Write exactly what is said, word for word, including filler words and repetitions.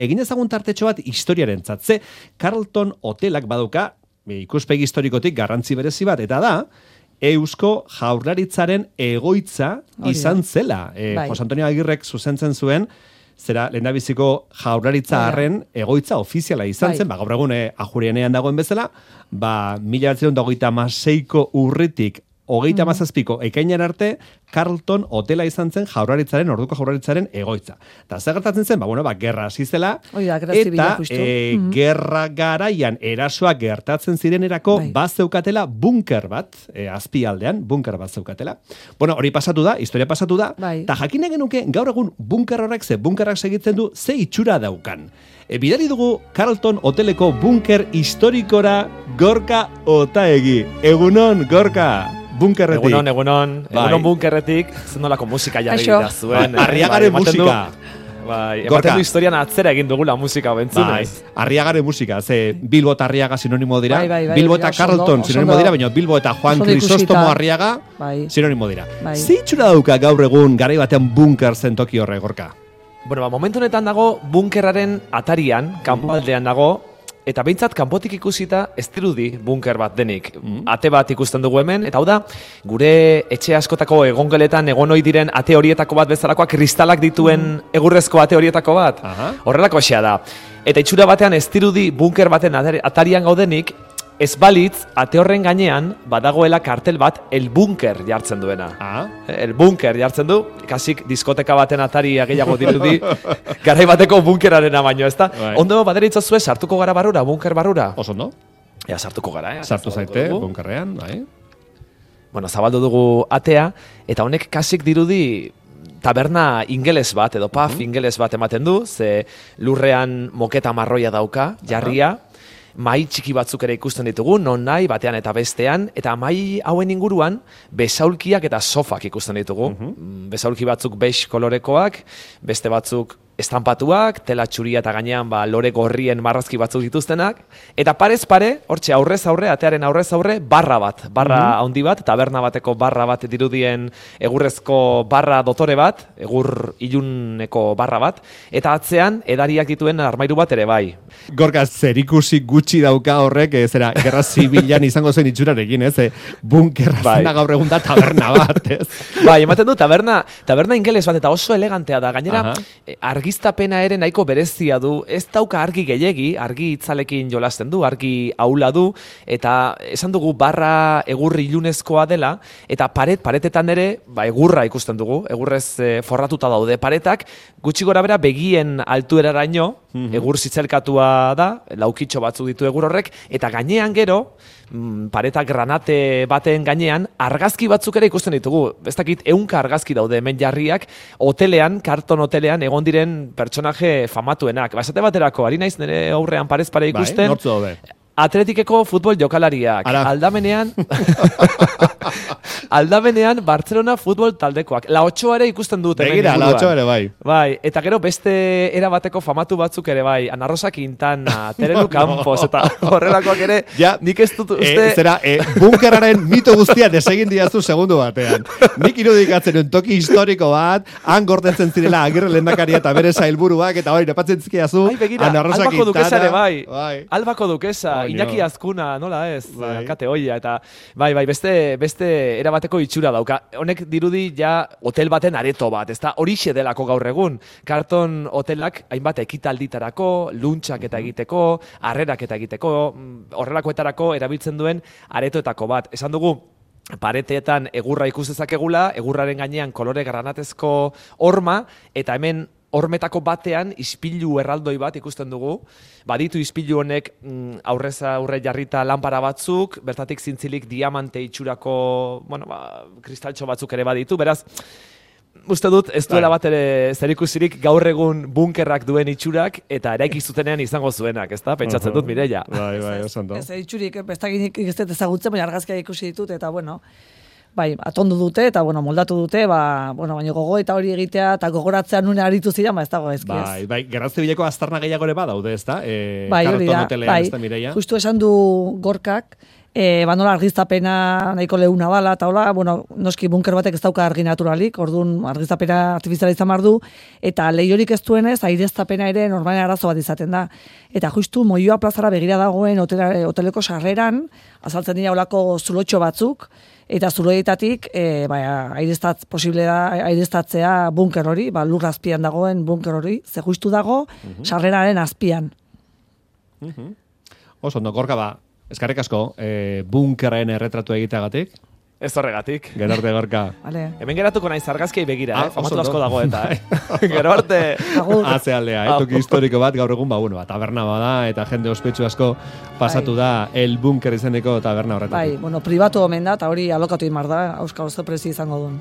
egin ezagun tartetxo bat historiarentzat. Ze Carlton Hotelak baduka ikuspegi historikotik garrantzi berezi bat, eta da, Eusko Jaurlaritzaren egoitza izan zela. E, bai. Jose Antonio Agirrek zuzentzen zuen, zera lehendabiziko Jaurlaritza harren egoitza ofiziala izan zen, ba, gaur egun eh, Ajurienean dagoen bezala, ba, mila bederatziehun eta hogeita hamaseiko urritik hogeita hamazazpiko ekainean arte, Carlton Hotela izan zen Jaurlaritzaren, orduko Jaurlaritzaren egoitza. Eta zer gertatzen zen, ba, bueno, ba, gerra hasi zela, eta e, mm-hmm. gerra garaian erasoak gertatzen zirenerako bai. Bazeukatela bunker bat, e, azpialdean, bunker bat zeukatela. Bueno, hori pasatu da, historia pasatu da, bai. eta jakine genuke gaur egun bunker horrek, ze bunkerrak segitzen du, ze itxura daukan. E, bidali dugu Carlton Hoteleko bunker historikora Gorka Otaegi. Egunon, Gorka! Bunkerretik. Egunon, egunon, bai. Egunon bunkerretik, zenolako musika jarri da zuen. Arriagaren bai, musika. Bai, ematen du historian atzera egin dugula musika bentzunez. Bai, Arriagaren musika, ze Bilbo eta Arriaga sinonimo dira, bai, bai, bai, Bilbo eta Carlton sinonimo dira, baina Bilbo eta Juan Crisóstomo Arriaga bai. sinonimo dira. Bai. Zeitxura dauka gaur egun garai batean bunker zen toki horre, Gorka? Bueno, ba, momentu honetan dago bunkerraren atarian, kanpoaldean dago, eta behintzat kanpotik ikusita ez dirudi bunker bat denik. Mm. Ate bat ikusten dugu hemen, eta hau da, gure etxe askotako egongeletan egon ohi diren ate horietako bat bezalakoa, kristalak dituen mm. egurrezko ate horietako bat. Aha. Horrelako xea da. Eta itxura batean ez dirudi bunker baten atarian gaudenik, ez balitz, ate horren gainean, badagoela kartel bat, el bunker jartzen duena. Ah. El bunker jartzen du, kasik diskoteka baten atari gehiago dirudi, garai bateko bunkerarena baino, ezta? Right. Ondo baderitzazue, sartuko gara barrura, bunker barrura? Oso ondo? Ja, sartuko gara, eh? Sartu zaite, bunkerrean, bai. Bueno, zabaldu dugu atea, eta honek kasik dirudi taberna ingeles bat, edo pub uh-huh. ingeles bat ematen du, ze lurrean moketa marroia dauka, jarria, uh-huh. Mai txiki batzuk ere ikusten ditugu, non nahi, batean eta bestean, eta mai hauen inguruan besaulkiak eta sofak ikusten ditugu. Uh-huh. Besaulki batzuk beige kolorekoak, beste batzuk estampatuak, tela txuria eta gainean ba, lore gorrien marrazki batzuk dituztenak, eta parez pare, hortxe aurrez aurre, atearen aurrez aurre, barra bat, barra uh-huh. handi bat, taberna bateko barra bat dirudien egurrezko barra dotore bat, egur iluneko barra bat, eta atzean edariak dituen armairu bat ere bai. Gorka, zerikusi gutxi dauka horrek, e, zera, gerra zibilan izango zen itxurarekin, ez? E, bunkerra bai. Zena gaur egun da taberna bat, ez? Bai, ematen du, taberna, taberna ingeles bat, eta oso elegantea da, gainera, uh-huh. argiztapena ere nahiko berezia du, ez dauka argi gehiegi, argi itzalekin jolasten du, argi aula du, eta esan dugu barra egurri ilunezkoa dela, eta paret, paretetan ere, ba, egurra ikusten dugu, egurrez e, forratuta daude paretak, gutxi gora bera begien altueraraino, mm-hmm. egur zitzelkatua da, laukitxo batzuk ditu egur horrek, eta gainean gero, pareta granate baten gainean, argazki batzuk ere ikusten ditugu. Ez dakit, ehunka argazki daude hemen jarriak, hotelean, Carlton hotelean, egon diren pertsonaje famatuenak. Ba, esate baterako, ari naiz nire aurrean parez pare ikusten. Bai, nortzu daude. Atletikeko futbol jokalariak. Ara. Aldamenean... Aldamenean Barcelona futbol taldekoak. La Ochoa ere ikusten dut. Begira, La Ochoa ere bai. Bai, eta gero beste erabateko famatu batzuk ere bai. Ana Rosa Quintana, Terelu Campos, eta horrelakoak ere ja, nik ez dut uste... E, zera, e, bunkeraren mito guztia desegin diazu segundu batean. Nik irudikatzen un toki historiko bat, han gordetzen zirela Agirre lehendakaria eta bere sailburuak, eta hori, nepatzen zizkiazu, Ana Rosa Albako Quintana. Dukesa ere bai. bai. Albako Dukesa, oh, Iñaki Azkuna, nola ez, bai. Kate Oia, eta bai, bai, beste, beste erabateko itxura dauka. Honek dirudi ja hotel baten areto bat, ezta horixe delako gaur egun. Carlton hotelak hainbat ekitalditarako, luntxak eta egiteko, harrerak eta egiteko, horrelakoetarako erabiltzen duen aretoetako bat. Esan dugu, pareteetan egurra ikus dezakegula, egurraren gainean kolore granatezko horma, eta hemen hormetako batean ispilu erraldoi bat ikusten dugu. Baditu ispilu honek aurrez aurre jarrita lanpara batzuk, bertatik zintzilik diamante itxurako, bueno, ba, kristaltxo batzuk ere baditu. Beraz, uste dut ez duela bat ere zerikusirik gaur egun bunkerrak duen itxurak eta eraiki zutenean izango zuenak, ezta? Pentsatzen dut Mireia. Bai, bai, oso ondo. Ez itxurik, bestakinik ez dut ezagutzen, baina argazkiak ikusi ditut eta bueno, bai, atondu dute eta bueno, moldatu dute, ba, bueno, baina gogo eta hori egitea eta gogoratzea nune aritu ziren, ba ez dago ezki ez. Bai, bai, Gerra Zibileko aztarna gehiago ere badaude, ezta? Eh, bai, hori da, bai, Mireia. justu esan du Gorkak, E, ba, nola argiztapena nahiko leuna dala, eta hola, bueno, noski bunker batek ez dauka argi naturalik, orduan argiztapena artifiziala izan behar du, eta lehiorik ez duenez, aireztapena ere normalen arazo bat izaten da. Eta justu Moioa plazara begira dagoen hotela, hoteleko sarreran, azaltzen dira olako zulotxo batzuk, eta zuloietatik e, ba, aireztat, posible da aireztatzea bunker hori, ba, lur azpian dagoen bunker hori, ze justu dago, uh-huh. sarreraren azpian. Uh-huh. Oso, ondo, Gorka, ba, eskarrik asko, e, bunkerren erretratu egiteagatik. Ez horregatik. Gero arte, Gorka. Vale. Hemen geratuko naiz argazkiei begira, ah, eh? Famatu asko dago eta, eh? Gero arte. Haze aldea, eh? Toki historiko bat, gaur egun, ba, bueno, ba, taberna bada, eta jende ospetsu asko pasatu bai. Da El Bunker izeneko taberna horretatik. Bai, bueno, pribatu omen da, eta hori alokatu imar da, auskal oso prezi izango duen.